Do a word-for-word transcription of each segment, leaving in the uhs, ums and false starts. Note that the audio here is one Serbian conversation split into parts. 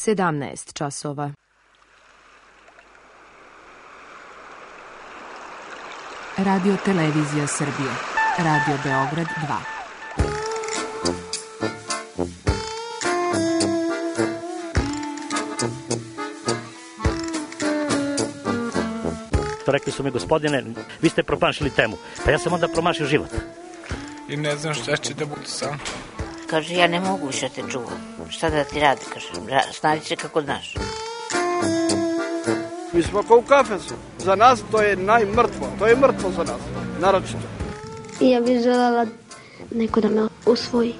sedamnaest časova. Radio Televizija Srbije. Radio Beograd dva. Rekli su mi, gospodine, vi ste promašili temu. Pa ja sam onda promašio život. I ne znam šta će da bude sam. Kaže, ja ne mogu više te čuvam. Šta da ti radi, kaže, snađi se kako znaš. Mi smo kao u kafesu. Za nas to je najmrtvo. To je mrtvo za nas, naročito. I ja bih želela neko da me usvoji.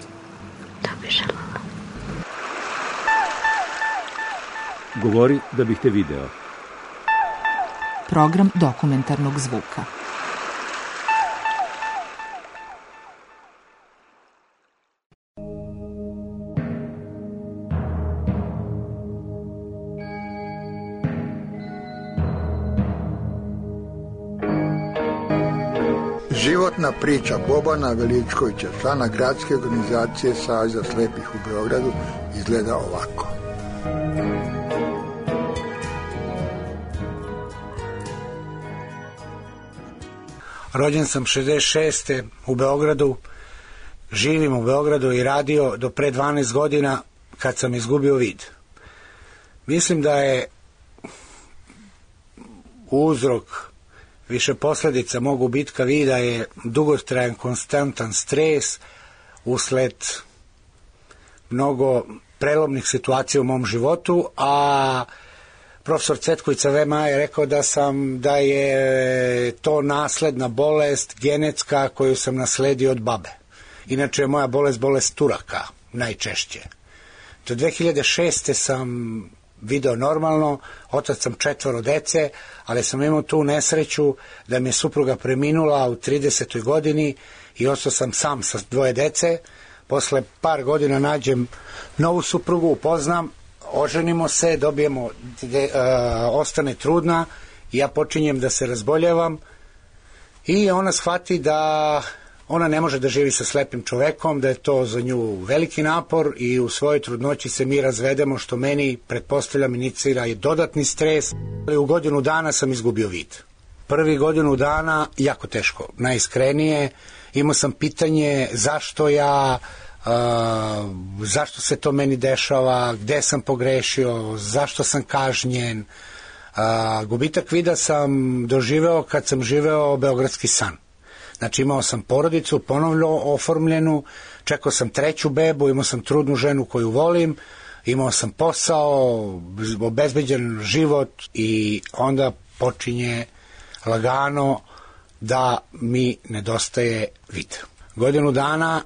Da bih želela. Govori da bih te video. Program dokumentarnog zvuka. Životna priča Bobana Veličkovića, člana gradske organizacije Saveza slepih u Beogradu, izgleda ovako. Rođen sam šezdeset šeste u Beogradu, živim u Beogradu i radio do pre dvanaest godina kad sam izgubio vid. Mislim da je uzrok više posledica mog gubitka vida je dugotrajan konstantan stres usled mnogo prelomnih situacija u mom životu, a profesor Cetković Vema je rekao da sam da je to nasledna bolest genetska koju sam nasledio od babe. Inače je moja bolest bolest Turaka najčešće. Do dve hiljade šeste sam video normalno, otac sam četvoro dece, ali sam imao tu nesreću da mi je supruga preminula u tridesetoj godini i ostao sam sam sa dvoje dece. Posle par godina nađem novu suprugu, upoznam, oženimo se, dobijemo, de, uh, ostane trudna i ja počinjem da se razboljevam i ona shvati da ona ne može da živi sa slepim čovekom, da je to za nju veliki napor i u svojoj trudnoći se mi razvedemo, što meni, pretpostavljam, inicira i dodatni stres. U godinu dana sam izgubio vid. Prvi godinu dana jako teško, najiskrenije. Imao sam pitanje zašto ja, uh, zašto se to meni dešava, gde sam pogrešio, zašto sam kažnjen. Uh, gubitak vida sam doživeo kad sam živeo beogradski san. Znači imao sam porodicu ponovno oformljenu, čekao sam treću bebu, imao sam trudnu ženu koju volim, imao sam posao, obezbeđen život i onda počinje lagano da mi nedostaje vid. Godinu dana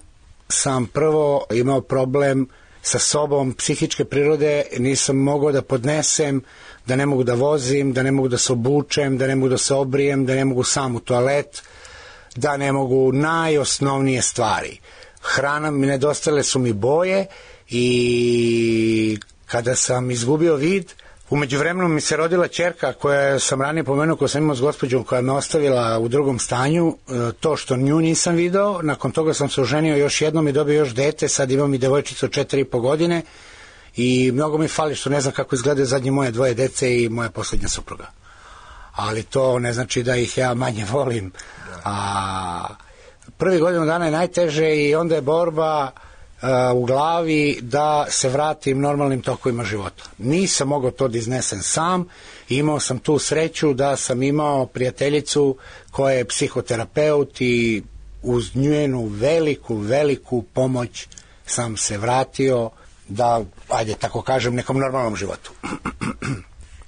sam prvo imao problem sa sobom psihičke prirode, nisam mogao da podnesem, da ne mogu da vozim, da ne mogu da se obučem, da ne mogu da se obrijem, da ne mogu sam u toalet, da ne mogu najosnovnije stvari. Hrana mi nedostale su mi boje i kada sam izgubio vid, umeđu vremenu mi se rodila ćerka koja sam ranije pomenuo, koju sam imao s gospođom koja me ostavila u drugom stanju, to što nju nisam video, nakon toga sam se oženio još jednom i dobio još dete, sad imam i devojčicu od četiri i po godine i mnogo mi fali što ne znam kako izgledaju zadnje moje dvoje dece i moja poslednja supruga. Ali to ne znači da ih ja manje volim. A prvi godinu dana je najteže i onda je borba a, u glavi da se vratim normalnim tokovima života. Nisam mogao to da iznesem sam, imao sam tu sreću da sam imao prijateljicu koja je psihoterapeut i uz njenu veliku, veliku pomoć sam se vratio da, ajde tako kažem, nekom normalnom životu.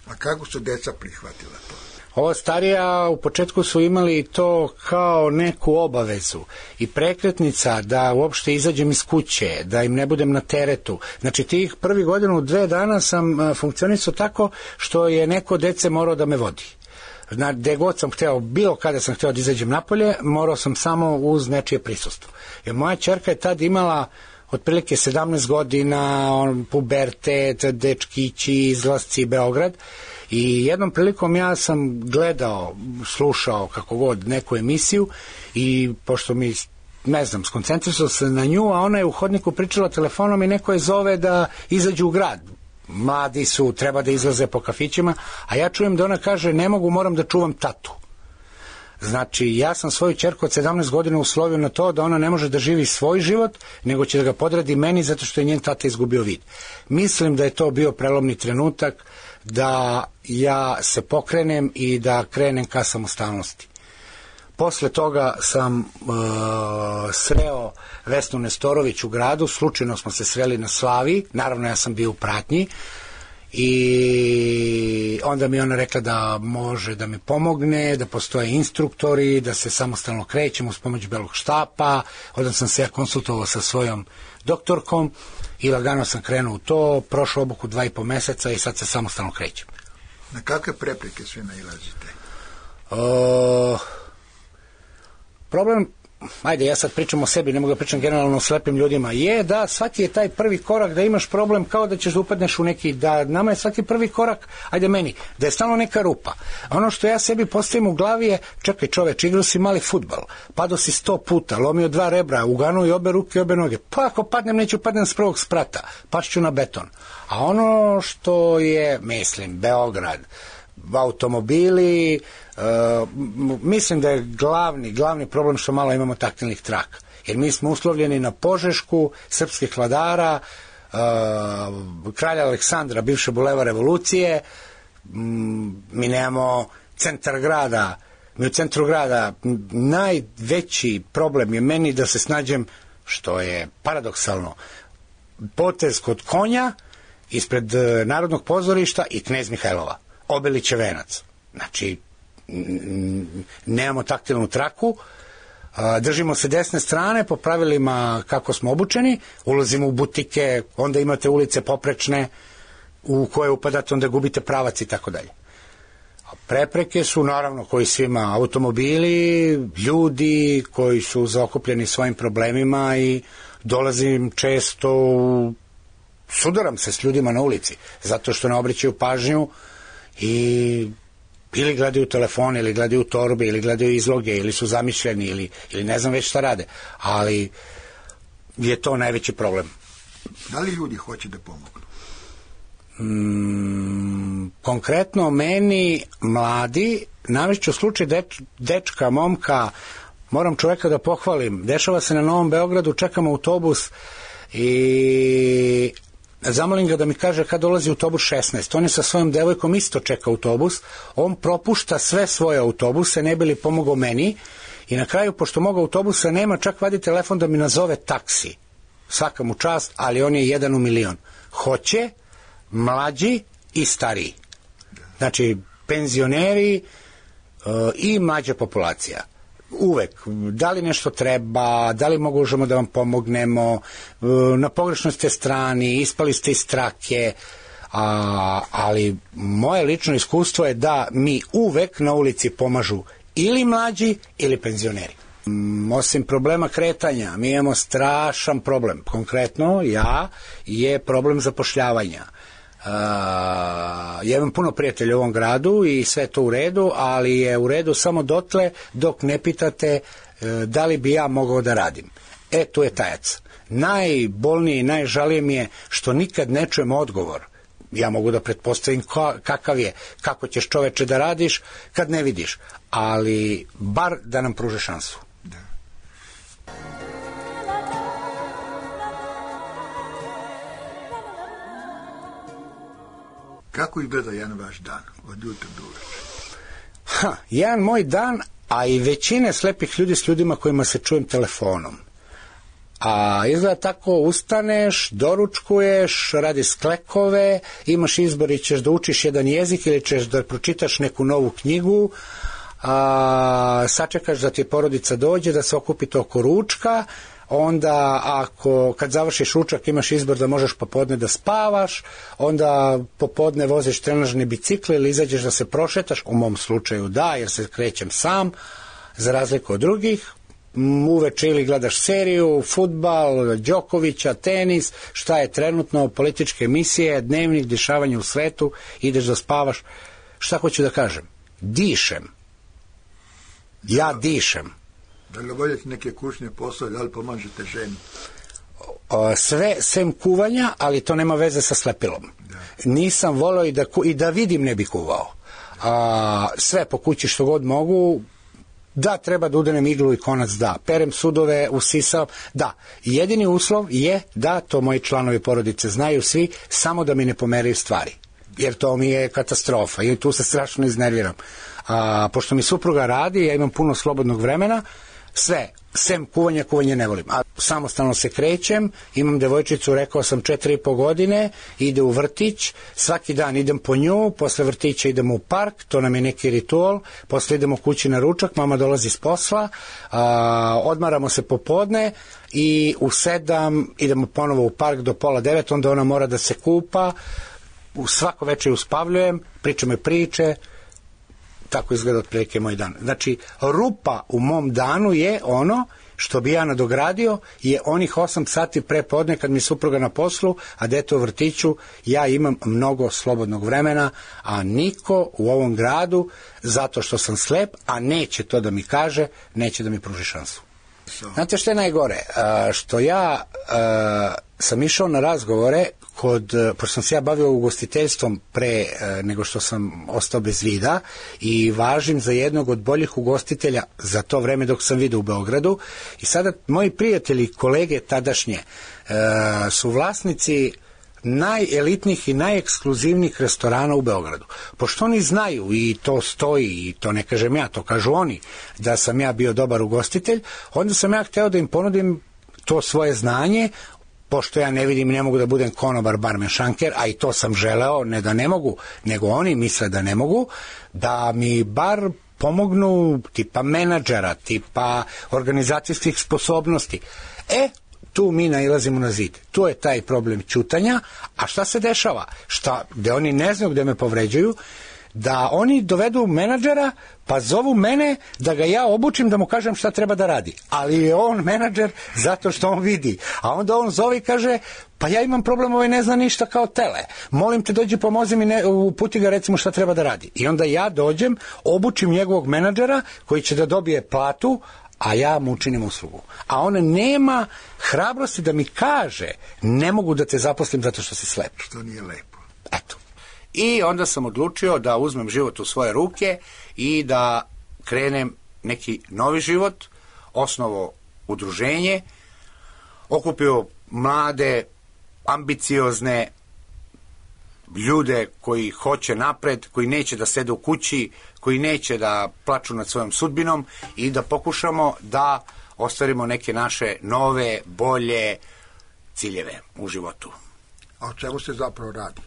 A kako su deca prihvatila to? Ova starija u početku su imali to kao neku obavezu i prekretnica da uopšte izađem iz kuće, da im ne budem na teretu. Znači tih prvi godinu, dve dana sam funkcionisao tako što je neko dece morao da me vodi. Znači, gde god sam hteo, bilo kada sam hteo da izađem napolje, morao sam samo uz nečije prisustvo. Jer moja ćerka je tad imala otprilike sedamnaest godina, on, pubertet, dečkići, izlasci, Beograd. I jednom prilikom ja sam gledao, slušao kako god neku emisiju i pošto mi, ne znam, skoncentrisao se na nju, a ona je u hodniku pričala telefonom i neko je zove da izađu u grad. mladi su, treba da izlaze po kafićima, a ja čujem da ona kaže ne mogu, moram da čuvam tatu. Znači, ja sam svoju ćerku od sedamnaest godina uslovio na to da ona ne može da živi svoj život, nego će da ga podredi meni zato što je njen tata izgubio vid. Mislim da je to bio prelomni trenutak da ja se pokrenem i da krenem ka samostalnosti. Posle toga sam uh, sreo Vesnu Nestorović u gradu, slučajno smo se sreli na Slavi, naravno ja sam bio u pratnji, i onda mi ona rekla da može da mi pomogne, da postoje instruktori, da se samostalno krećem uz pomoć belog štapa. Onda sam se ja konsultovao sa svojom doktorkom i lagano sam krenuo u to, prošao obuku dva i po meseca i sad se samostalno krećem. Na kakve prepreke sve nailazite? Uh, problem, ajde, ja sad pričam o sebi, ne mogu da pričam generalno o slepim ljudima, je da svaki je taj prvi korak da imaš problem kao da ćeš da upadneš u neki, da nama je svaki prvi korak, ajde meni, da je stalno neka rupa. Ono što ja sebi postavim u glavi je, čekaj čoveč, igrao si mali fudbal, padao si sto puta, lomio dva rebra, uganuo i obe ruke i obe noge, pa ako padnem, neću padnem s prvog sprata, pašću na beton. A ono što je, mislim, Beograd, automobili, uh, mislim da je glavni, glavni problem što malo imamo taktilnih traka. Jer mi smo uslovljeni na Požešku, srpskih vladara, uh, kralja Aleksandra, bivše buleva revolucije, um, mi nemamo centar grada, mi u centru grada, najveći problem je meni da se snađem, što je paradoksalno, potez kod konja, ispred uh, Narodnog pozorišta i Knez Mihajlova. Obilić je venac. Znači, nemamo taktilnu traku, držimo se desne strane po pravilima kako smo obučeni, ulazimo u butike, onda imate ulice poprečne u koje upadate, onda gubite pravac i tako dalje. Prepreke su, naravno, koji svima, automobili, ljudi koji su zaokupljeni svojim problemima i dolazim često, sudaram se s ljudima na ulici, zato što ne obraćaju pažnju i ili gledaju telefon, ili gledaju torbe, ili gledaju izloge, ili su zamišljeni, ili, ili ne znam već šta rade, ali je to najveći problem. Da li ljudi hoće da pomognu? Mm, konkretno meni mladi, navešću slučaj deč, dečka, momka, moram čoveka da pohvalim, dešava se na Novom Beogradu, čekam autobus i zamolim ga da mi kaže kad dolazi autobus šesnaest. On je sa svojom devojkom isto čeka autobus, on propušta sve svoje autobuse, ne bi li pomogao meni, i na kraju, pošto moga autobusa nema, čak vadi telefon da mi nazove taksi. Svaka mu čast, ali on je jedan u milion. Hoće mlađi i stariji. Znači, penzioneri uh, i mlađa populacija. Uvek, da li nešto treba, da li možemo da vam pomognemo, na pogrešnoj ste strani, ispali ste iz trake, a, ali moje lično iskustvo je da mi uvek na ulici pomažu ili mlađi ili penzioneri. Osim problema kretanja, mi imamo strašan problem. Konkretno, ja, je problem zapošljavanja. Uh, ja imam puno prijatelja u ovom gradu i sve to u redu, ali je u redu samo dotle dok ne pitate uh, da li bi ja mogao da radim. E, tu je tajac. Najbolnije i najžalije mi je što nikad ne čujem odgovor. Ja mogu da pretpostavim ka, kakav je, kako ćeš čoveče da radiš kad ne vidiš, ali bar da nam pruže šansu. Kako izgleda jedan vaš dan, od jutra do uveče? Ha, jedan moj dan, a i većine slepih ljudi s ljudima kojima se čujem telefonom. A izgleda tako, ustaneš, doručkuješ, radi sklekove, imaš izbor i ćeš da učiš jedan jezik ili ćeš da pročitaš neku novu knjigu, a, sačekaš da ti porodica dođe, da se okupite oko ručka, onda ako kad završiš ručak imaš izbor da možeš popodne da spavaš, onda popodne voziš trenažne bicikle ili izađeš da se prošetaš, u mom slučaju da, jer se krećem sam, za razliku od drugih, uveče ili gledaš seriju, fudbal, Đokovića, tenis, šta je trenutno, političke emisije, dnevnik, dešavanje u svetu, ideš da spavaš. Šta hoću da kažem? Dišem. Ja dišem. Da li obavljate neke kućne poslove, da li pomažete ženi? o, sve sem kuvanja, ali to nema veze sa slepilom. Nisam voleo i da, i da vidim ne bi kuvao. A, sve po kući što god mogu, da, treba da udanem iglu i konac, da. Perem sudove, usisam, da. Jedini uslov je da, to moji članovi porodice znaju svi, samo da mi ne pomeraju stvari. Jer to mi je katastrofa i tu se strašno iznerviram. A, pošto mi supruga radi, ja imam puno slobodnog vremena, sve, sem kuvanja, kuvanje ne volim. A samostalno se krećem, imam devojčicu, rekao sam, četiri i po godine, ide u vrtić, svaki dan idem po nju, posle vrtića idemo u park, to nam je neki ritual, posle idemo kući na ručak, mama dolazi s posla, a, odmaramo se popodne i u sedam idemo ponovo u park do pola devet, onda ona mora da se kupa, svako večer uspavljujem, pričamo priče, tako izgleda otprilike moj dan. Znači, rupa u mom danu je ono što bi ja nadogradio, je onih osam sati pre podne kad mi supruga na poslu, a dete u vrtiću, ja imam mnogo slobodnog vremena, a niko u ovom gradu, zato što sam slep, a neće to da mi kaže, neće da mi pruži šansu. Znate što je najgore? A, što ja a, sam išao na razgovore kod, pošto sam se ja bavio ugostiteljstvom pre a, nego što sam ostao bez vida i važim za jednog od boljih ugostitelja za to vreme dok sam vidio u Beogradu i sada moji prijatelji, kolege tadašnje a, su vlasnici najelitnijih i najekskluzivnijih restorana u Beogradu. Pošto oni znaju i to stoji i to ne kažem ja, to kažu oni, da sam ja bio dobar ugostitelj, onda sam ja hteo da im ponudim to svoje znanje, pošto ja ne vidim i ne mogu da budem konobar, barmen, šanker, a i to sam želeo, ne da ne mogu, nego oni misle da ne mogu, da mi bar pomognu tipa menadžera, tipa organizacijskih sposobnosti. E, tu mi nailazimo na zid. Tu je taj problem ćutanja, a šta se dešava? Šta, gde oni ne znaju gde me povređuju, da oni dovedu menadžera, pa zovu mene da ga ja obučim da mu kažem šta treba da radi. Ali je on menadžer zato što on vidi. A onda on zove i kaže, pa ja imam problem, ovaj ne zna ništa kao tele. Molim te, dođi, pomozi mi, ne, uputi ga, recimo šta treba da radi. I onda ja dođem, obučim njegovog menadžera koji će da dobije platu, a ja mu učinim uslugu. A on nema hrabrosti da mi kaže, ne mogu da te zaposlim zato što si slep. Što nije lepo. Eto. I onda sam odlučio da uzmem život u svoje ruke i da krenem neki novi život, osnovo udruženje, okupio mlade, ambiciozne ljude koji hoće napred, koji neće da sede u kući, koji neće da plaču nad svojom sudbinom i da pokušamo da ostvarimo neke naše nove, bolje ciljeve u životu. A o čemu se zapravo radi?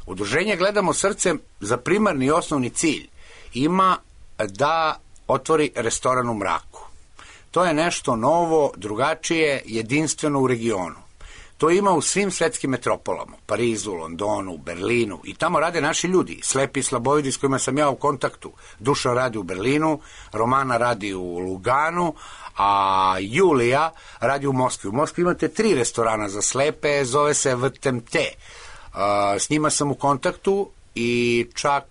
Udruženje Gledamo srcem za primarni i osnovni cilj ima da otvori restoran u mraku. To je nešto novo, drugačije, jedinstveno u regionu. To ima u svim svetskim metropolama, Parizu, Londonu, Berlinu, i tamo rade naši ljudi, slepi i slabovidi s kojima sam ja u kontaktu. Dušan radi u Berlinu, Romana radi u Luganu, a Julija radi u Moskvi. U Moskvi imate tri restorana za slepe, zove se V T M T. S njima sam u kontaktu i čak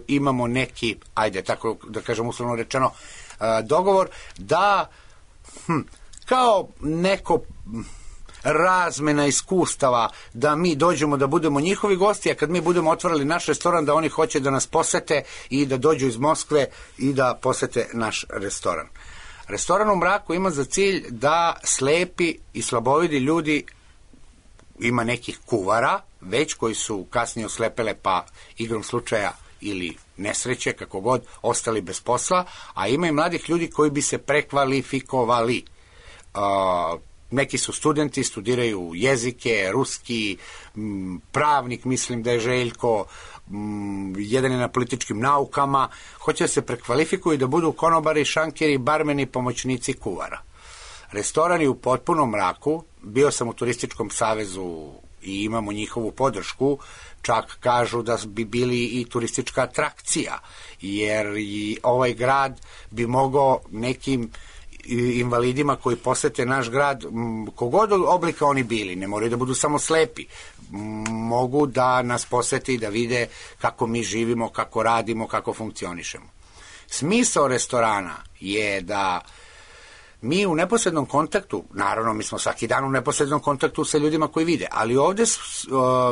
imamo neki, ajde, tako da kažem uslovno rečeno, dogovor da hm, kao neko razmena iskustava, da mi dođemo da budemo njihovi gosti, a kad mi budemo otvorili naš restoran, da oni hoće da nas posete i da dođu iz Moskve i da posete naš restoran. Restoran u mraku ima za cilj da slepi i slabovidi ljudi, ima nekih kuvara već koji su kasnije oslepele pa igrom slučaja ili nesreće, kako god, ostali bez posla, a ima i mladih ljudi koji bi se prekvalifikovali. Uh, neki su studenti, studiraju jezike, ruski, m, pravnik, mislim da je Željko, m, jedan je na političkim naukama, hoće da se prekvalifikuju i da budu konobari, šankeri, barmeni, pomoćnici kuvara. Restoran je u potpunom mraku, bio sam u Turističkom savezu i imamo njihovu podršku, čak kažu da bi bili i turistička atrakcija, jer i ovaj grad bi mogao nekim invalidima koji posete naš grad, kogod oblika oni bili, ne moraju da budu samo slepi, mogu da nas posete i da vide kako mi živimo, kako radimo, kako funkcionišemo. Smisao restorana je da mi u neposrednom kontaktu, naravno mi smo svaki dan u neposrednom kontaktu sa ljudima koji vide, ali ovde uh,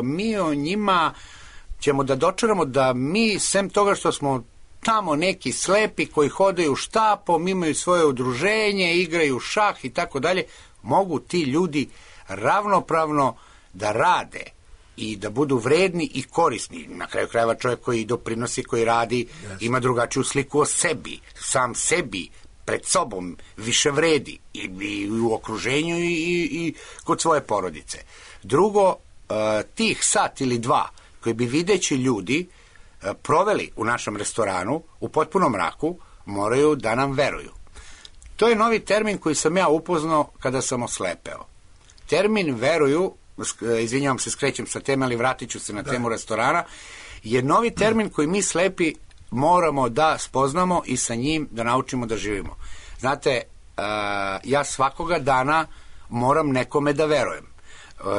mi o njima ćemo da dočaramo da mi, sem toga što smo tamo neki slepi koji hodaju štapom, imaju svoje udruženje, igraju šah i tako dalje, mogu ti ljudi ravnopravno da rade i da budu vredni i korisni. Na kraju krajeva čovjek koji doprinosi, koji radi, yes. ima drugačiju sliku o sebi, sam sebi, pred sobom, više vredi i, i u okruženju i, i, i kod svoje porodice. Drugo, uh, tih sat ili dva koji bi videći ljudi uh, proveli u našem restoranu u potpunom mraku, moraju da nam veruju. To je novi termin koji sam ja upoznao kada sam oslepeo. Termin veruju, izvinjavam se, skrećem sa teme, ali vratit ću se na temu restorana, je novi termin koji mi slepi moramo da spoznamo i sa njim da naučimo da živimo. Znate, ja svakoga dana moram nekome da verujem.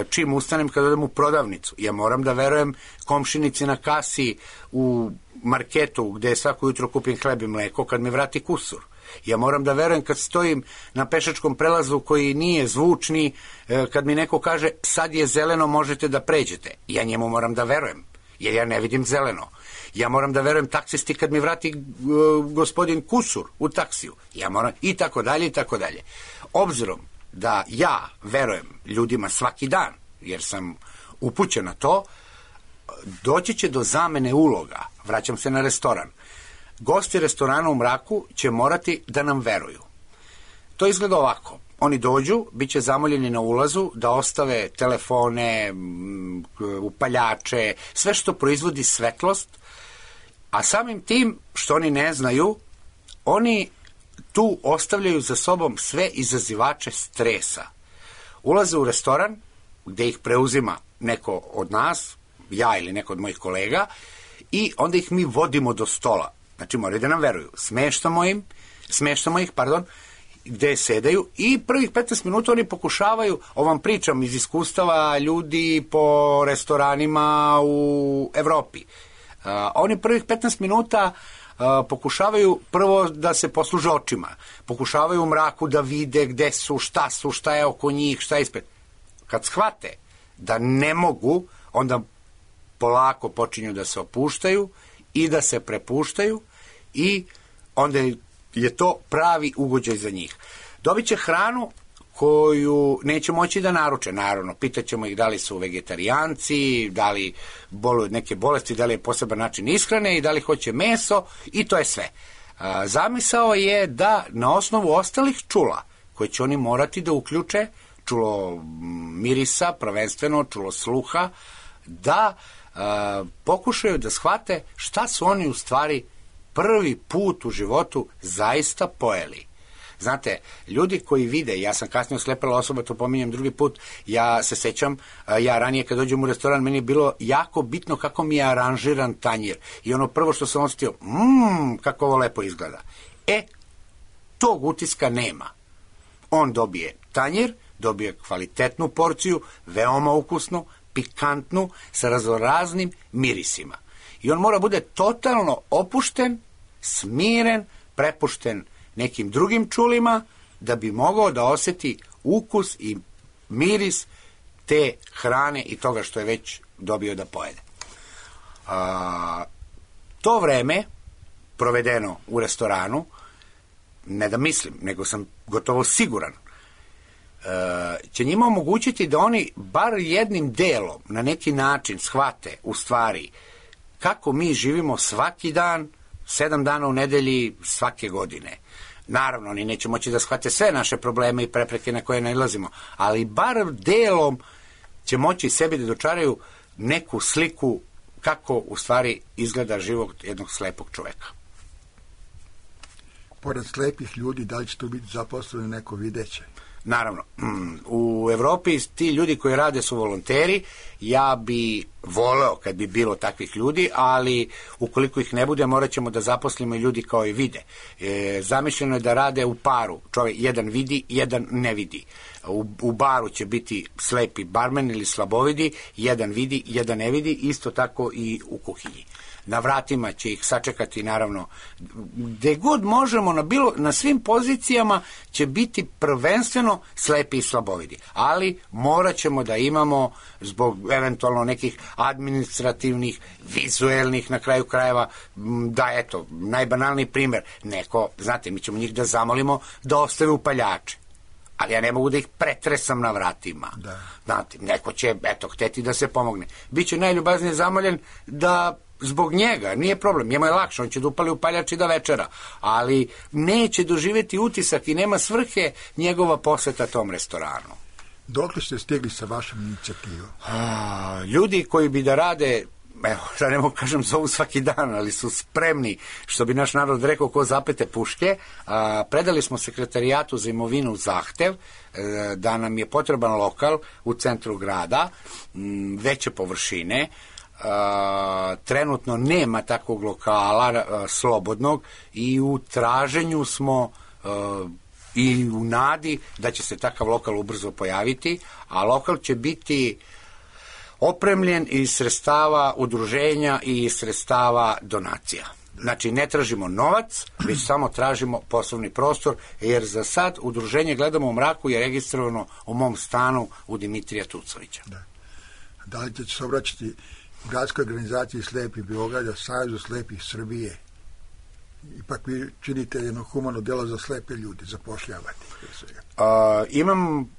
Čim ustanem kad odem u prodavnicu, ja moram da verujem komšinici na kasi u marketu gde svako jutro kupim hleb i mleko kad mi vrati kusur. Ja moram da verujem kad stojim na pešačkom prelazu koji nije zvučni, kad mi neko kaže sad je zeleno, možete da pređete. Ja njemu moram da verujem, jer ja ne vidim zeleno. Ja moram da verujem taksisti kad mi vrati uh, gospodin kusur u taksiju. Ja moram, i tako dalje, i tako dalje. Obzirom da ja verujem ljudima svaki dan, jer sam upućen na to, doći će do zamene uloga. Vraćam se na restoran. Gosti restorana u mraku će morati da nam veruju. To izgleda ovako. Oni dođu, bit će zamoljeni na ulazu da ostave telefone, upaljače, sve što proizvodi svetlost, a samim tim što oni ne znaju, oni tu ostavljaju za sobom sve izazivače stresa. Ulaze u restoran, gde ih preuzima neko od nas, ja ili neko od mojih kolega, i onda ih mi vodimo do stola. Znači, moraju da nam veruju. Smeštamo im, smeštamo ih, pardon, gde sedaju i prvih petnaest minuta oni pokušavaju, ovom pričam iz iskustava ljudi po restoranima u Evropi. Uh, oni prvih petnaest minuta uh, pokušavaju prvo da se posluže očima. Pokušavaju u mraku da vide gde su, šta su, šta je oko njih, šta je ispred. Kad shvate da ne mogu, onda polako počinju da se opuštaju i da se prepuštaju i onda je to pravi ugođaj za njih. Dobit će hranu koju neće moći da naruče, naravno. Pitaćemo ih da li su vegetarijanci, da li boluju od neke bolesti, da li je poseban način ishrane i da li hoće meso i to je sve. Zamisao je da na osnovu ostalih čula koje će oni morati da uključe, čulo mirisa, prvenstveno čulo sluha, da a, pokušaju da shvate šta su oni u stvari prvi put u životu zaista pojeli. Znate, ljudi koji vide, ja sam kasnije oslepela osoba, to pominjem drugi put, ja se sećam, ja ranije kad dođem u restoran, meni je bilo jako bitno kako mi je aranžiran tanjir. I ono prvo što sam osjetio, mmm, kako ovo lepo izgleda. E, tog utiska nema. On dobije tanjir, dobije kvalitetnu porciju, veoma ukusnu, pikantnu, sa raznoraznim mirisima. I on mora bude totalno opušten, smiren, prepušten nekim drugim čulima, da bi mogao da oseti ukus i miris te hrane i toga što je već dobio da pojede. A, to vreme provedeno u restoranu, ne da mislim, nego sam gotovo siguran, će njima omogućiti da oni bar jednim delom na neki način shvate u stvari kako mi živimo svaki dan, sedam dana u nedelji svake godine. Naravno, oni neće moći da shvate sve naše probleme i prepreke na koje nailazimo, ali bar delom će moći sebi da dočaraju neku sliku kako u stvari izgleda život jednog slepog čoveka. Pored slepih ljudi, da li će tu biti zaposleno neko videće? Naravno, u Evropi ti ljudi koji rade su volonteri, ja bi voleo kad bi bilo takvih ljudi, ali ukoliko ih ne bude, morat ćemo da zaposlimo i ljudi kao i vide. E, zamišljeno je da rade u paru, čovjek jedan vidi, jedan ne vidi. u, u baru će biti slepi barmen ili slabovidi, jedan vidi, jedan ne vidi, isto tako i u kuhinji. Na vratima će ih sačekati, naravno, gde god možemo, na, bilo, na svim pozicijama će biti prvenstveno slepi i slabovidi. Ali morat ćemo da imamo, zbog eventualno nekih administrativnih, vizuelnih, na kraju krajeva, da, eto, najbanalniji primer, neko, znate, mi ćemo njih da zamolimo da ostave upaljače. Ali ja ne mogu da ih pretresam na vratima. Da. Znate, neko će, eto, hteti da se pomogne. Biće najljubaznije zamoljen da zbog njega, nije problem, njemu je lakše, on će da upali upaljač i da večera, ali neće doživjeti utisak i nema svrhe njegova poseta tom restoranu. Dokle ste stigli sa vašom inicijativom? A, ljudi koji bi da rade, evo, da ne mogu kažem zovu svaki dan, ali su spremni, što bi naš narod rekao, ko zapete puške. A, predali smo sekretarijatu za imovinu zahtev e, da nam je potreban lokal u centru grada, m, veće površine. Uh, trenutno nema takvog lokala uh, slobodnog i u traženju smo uh, i u nadi da će se takav lokal ubrzo pojaviti, a lokal će biti opremljen iz sredstava udruženja i iz sredstava donacija. Znači, ne tražimo novac, već samo tražimo poslovni prostor, jer za sad udruženje Gledamo u mraku je registrovano u mom stanu u Dimitrija Tucovića. Da, da li ćete se obraćati Gradskoj organizaciji slepih Beograda, Savezu slepih Srbije? Ipak vi činite jedno humano delo za slepe ljude, zapošljavate. Uh, imam,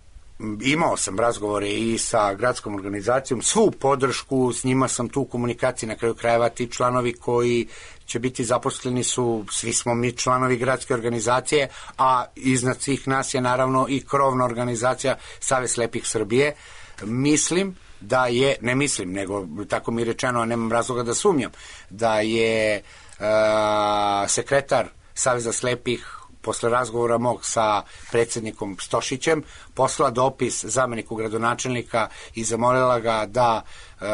imao sam razgovore i sa gradskom organizacijom, svu podršku, s njima sam tu u komunikaciji, na kraju krajeva ti članovi koji će biti zaposleni su, svi smo mi članovi gradske organizacije, a iznad svih nas je naravno i krovna organizacija Savez slepih Srbije. Mislim da je, ne mislim, nego tako mi je rečeno, a nemam razloga da sumnjam, da je uh, sekretar Saveza slepih posle razgovora mog sa predsjednikom Stošićem poslala dopis zameniku gradonačelnika i zamolila ga da e,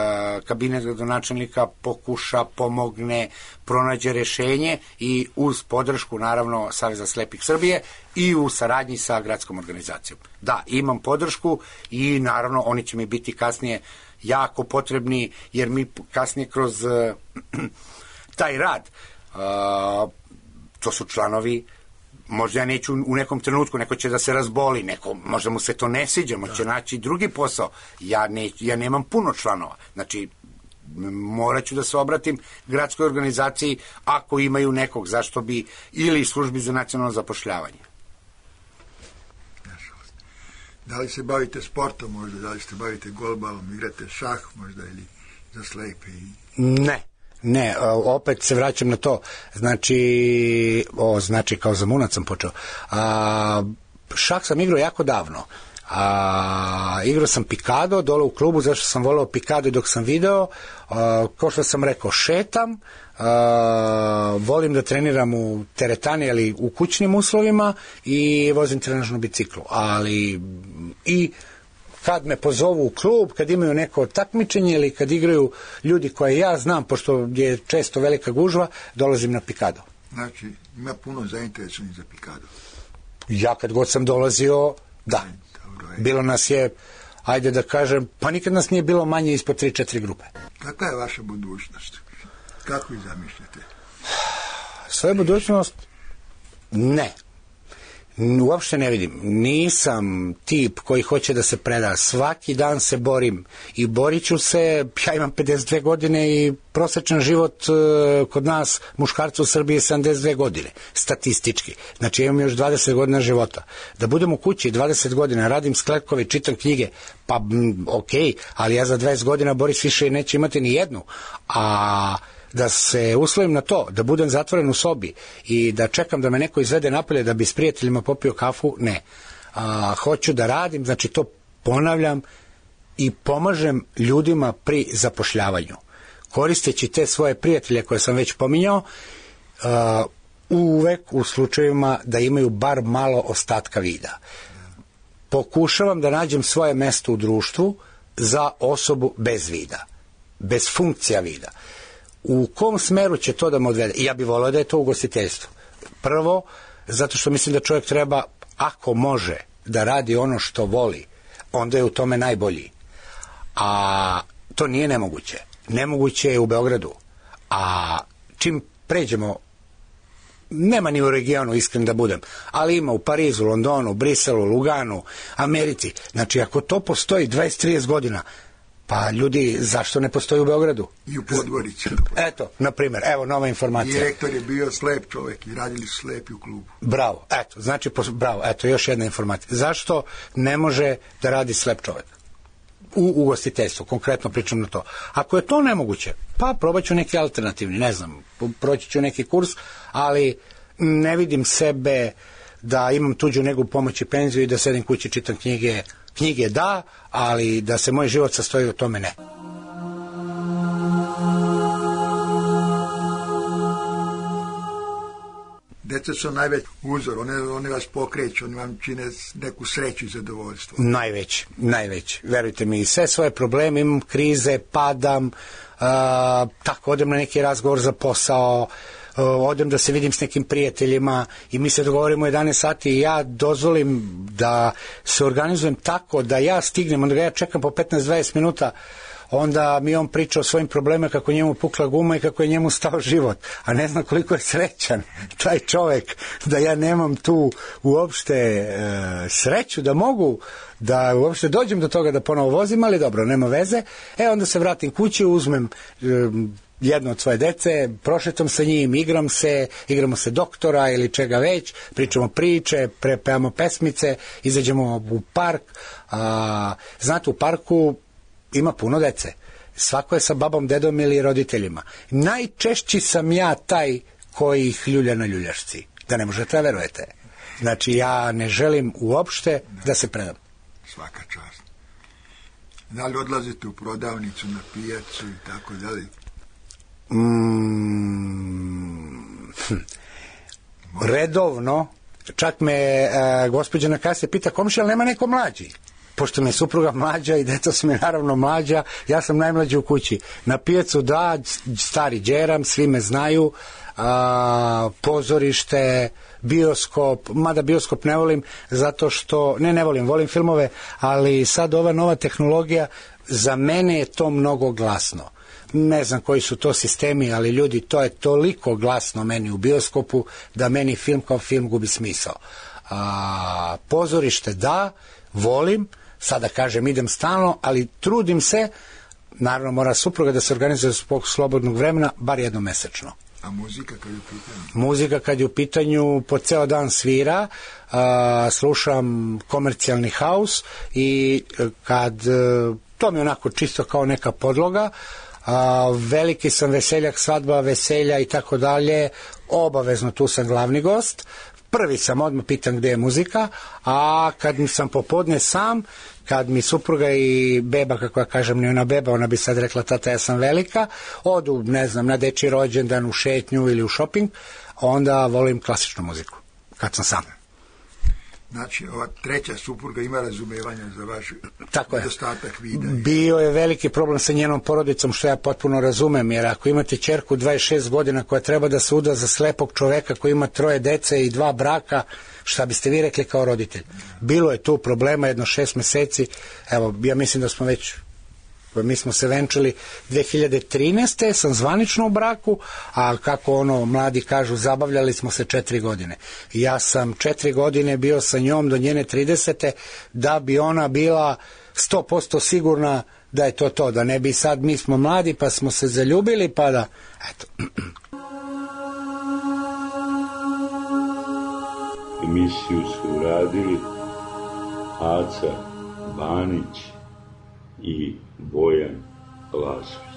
kabinet gradonačelnika pokuša, pomogne, pronađe rešenje i uz podršku naravno Saveza slepih Srbije i u saradnji sa gradskom organizacijom. Da, imam podršku i naravno oni će mi biti kasnije jako potrebni, jer mi kasnije kroz e, taj rad, e, to su članovi, možda ja neću u nekom trenutku, neko će da se razboli, neko, možda mu se to ne sviđa, možda će naći drugi posao. Ja, ne, ja nemam puno članova. Znači, morat ću da se obratim gradskoj organizaciji ako imaju nekog, zašto bi, ili službi za nacionalno zapošljavanje. Da li se bavite sportom možda, da li se bavite golbalom, igrate šah možda ili za slepe? Ne. Ne, opet se vraćam na to, znači, o, znači kao zamunac sam počeo, a, šah sam igrao jako davno, a, igrao sam pikado dole u klubu, zašto sam voleo pikado dok sam video, a, kao što sam rekao, šetam, a, volim da treniram u teretani, ali u kućnim uslovima i vozim trenažnu biciklu, ali i kad me pozovu u klub, kad imaju neko takmičenje ili kad igraju ljudi koje ja znam, pošto je često velika gužva, dolazim na pikado. Znači, ima puno zainteresovanih za pikado. Ja kad god sam dolazio, da. Bilo nas je, ajde da kažem, pa nikad nas nije bilo manje ispod tri četiri grupe. Kakva je vaša budućnost? Kako ju zamišljate? Svoju budućnost? Ne. Uopšte ne vidim. Nisam tip koji hoće da se preda. Svaki dan se borim i borit ću se. Ja imam pedeset dve godine i prosječan život e, kod nas muškarca u Srbiji je sedamdeset dve godine, statistički. Znači imam još dvadeset godina života. Da budem u kući dvadeset godina, radim skletkove, čitam knjige, pa m, ok, ali ja za dvadeset godina Boris više neće imati ni jednu. A da se uslovim na to, da budem zatvoren u sobi i da čekam da me neko izvede napolje da bi s prijateljima popio kafu, ne. A, hoću da radim, znači to ponavljam i pomažem ljudima pri zapošljavanju. Koristeći te svoje prijatelje koje sam već pominjao, a, uvek u slučajevima da imaju bar malo ostatka vida. Pokušavam da nađem svoje mesto u društvu za osobu bez vida, bez funkcija vida. U kom smeru će to da me odvede? Ja bih volio da je to ugostiteljstvo. Prvo, zato što mislim da čovjek treba, ako može, da radi ono što voli, onda je u tome najbolji. A to nije nemoguće. Nemoguće je u Beogradu. A čim pređemo, nema ni u regionu, iskren da budem, ali ima u Parizu, Londonu, Briselu, Luganu, Americi. Znači, ako to postoji dvadeset do trideset godina, pa ljudi, zašto ne postoji u Beogradu? I u Podgorici. Eto, na primjer, evo nova informacija. Direktor je bio slep čovjek i radili su slepi u klubu. Bravo, eto, znači, bravo, eto, još jedna informacija. Zašto ne može da radi slep čovjek? U ugostiteljstvu, konkretno pričam na to. Ako je to nemoguće, pa probat ću neki alternativni, ne znam, proći ću neki kurs, ali ne vidim sebe da imam tuđu negu pomoć i penziju i da sedim kući, čitam knjige. Knjige da, ali da se moj život sastoji u tome ne. Deca su najveći uzor, one, one vas pokreću, oni vam čine neku sreću i zadovoljstvo. Najveći, najveći. Verujte mi, sve svoje probleme, imam krize, padam, uh, tako odem na neki razgovor za posao, uh, odem da se vidim s nekim prijateljima i mi se dogovorimo jedanaest sati i ja dozvolim da se organizujem tako da ja stignem, onda ga ja čekam po petnaest do dvadeset minuta, onda mi on priča o svojim problemima, kako njemu pukla guma i kako je njemu stao život, a ne znam koliko je srećan taj čovjek, da ja nemam tu uopšte e, sreću da mogu da uopšte dođem do toga da ponovo vozim, ali dobro, nema veze. E, onda se vratim kući, uzmem e, jedno od svoje dece, prošetam sa njim, igram se, igramo se doktora ili čega već, pričamo priče, prepevamo pesmice, izađemo u park. A, znate, u parku ima puno dece. Svako je sa babom, dedom ili roditeljima. Najčešći sam ja taj koji ih ljulja na ljuljašci. Da ne možete da verujete. Znači, ja ne želim uopšte da se predam. Svaka čast. Da li odlazite u prodavnicu, na pijacu i tako dalje? Mm, hm. Redovno, čak me uh, gospođa na kasi pita, komšija, ali nema neko mlađi? Pošto mi je supruga mlađa i deca su mi naravno mlađa, ja sam najmlađi u kući. Na pijacu da, stari džeram, svi me znaju, a, pozorište, bioskop, mada bioskop ne volim zato što, ne ne volim, volim filmove, ali sad ova nova tehnologija, za mene je to mnogo glasno. Ne znam koji su to sistemi, ali ljudi, to je toliko glasno meni u bioskopu da meni film kao film gubi smisao. A, pozorište da, volim, sada kažem idem stalno, ali trudim se, naravno mora supruga da se organizuje zbog slobodnog vremena, bar jednom mesečno. A muzika kad je u pitanju? Muzika kad je u pitanju, po ceo dan svira, a, slušam komercijalni haus i kad, to mi je onako čisto kao neka podloga, a, veliki sam veseljak, svadba, veselja i tako dalje, obavezno tu sam glavni gost. Prvi sam, odmah pitam gde je muzika, a kad sam popodne sam, kad mi supruga i beba, kako ja kažem, nije ona beba, ona bi sad rekla, tata, ja sam velika, odu, ne znam, na dečji rođendan, u šetnju ili u šoping, onda volim klasičnu muziku, kad sam sam. Znači, ova treća supruga ima razumevanja za vaš nedostatak vida. Bio je veliki problem sa njenom porodicom, što ja potpuno razumem, jer ako imate ćerku dvadeset šest godina koja treba da se uda za slepog čoveka koji ima troje dece i dva braka, šta biste vi rekli kao roditelj? Bilo je tu problema jedno šest meseci, evo, ja mislim da smo već, mi smo se venčali dve hiljade trinaeste. sam zvanično u braku, a kako ono mladi kažu, zabavljali smo se četiri godine. Ja sam četiri godine bio sa njom do njene tridesete da bi ona bila sto posto sigurna da je to to, da ne bi sad mi smo mladi pa smo se zaljubili pa da, eto. Emisiju su uradili Aca Banić i Bojan Lasović.